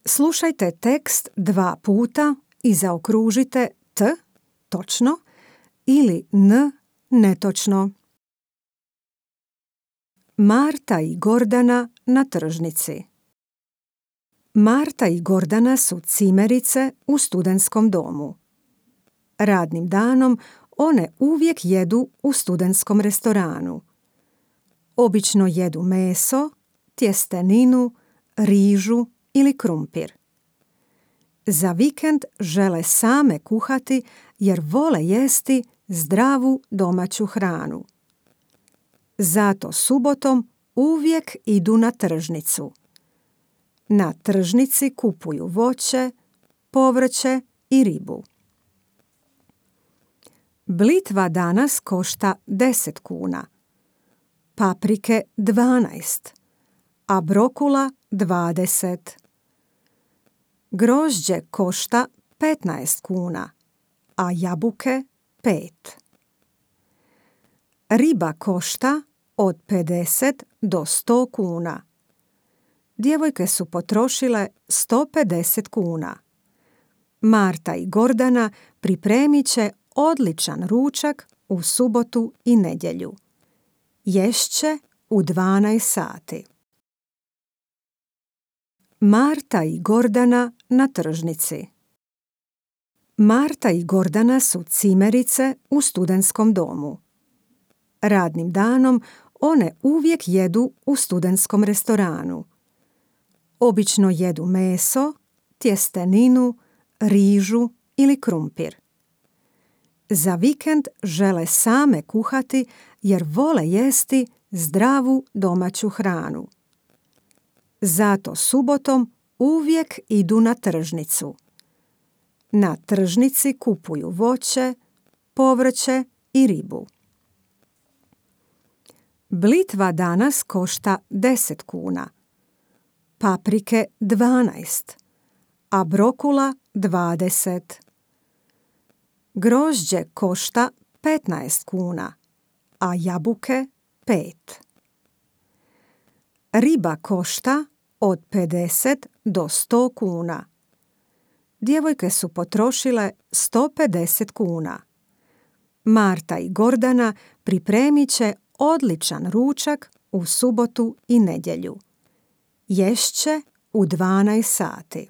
Slušajte tekst 2 puta i zaokružite t točno ili n netočno. Marta i Gordana na tržnici. Marta i Gordana su cimerice u studentskom domu. Radnim danom one uvijek jedu u studentskom restoranu. Obično jedu meso, tjesteninu, rižu ili krumpir. Za vikend žele same kuhati jer vole jesti zdravu domaću hranu. Zato subotom uvijek idu na tržnicu. Na tržnici kupuju voće, povrće i ribu. Blitva danas košta 10 kuna, paprike 12, a brokula 20. Grožđe košta 15 kuna, a jabuke 5. Riba košta od 50 do 100 kuna. Djevojke su potrošile 150 kuna. Marta i Gordana pripremit će odličan ručak u subotu i nedjelju. Ješće u 12 sati. Marta i Gordana na tržnici. Marta i Gordana su cimerice u studentskom domu. Radnim danom one uvijek jedu u studentskom restoranu. Obično jedu meso, tjesteninu, rižu ili krumpir. Za vikend žele same kuhati jer vole jesti zdravu domaću hranu. Zato subotom uvijek idu na tržnicu. Na tržnici kupuju voće, povrće i ribu. Blitva danas košta 10 kuna, paprike 12, a brokula 20. Grožđe košta 15 kuna, a jabuke 5. Riba košta od 50 do 100 kuna. Djevojke su potrošile 150 kuna. Marta i Gordana pripremit će odličan ručak u subotu i nedjelju. Ješće u 12 sati.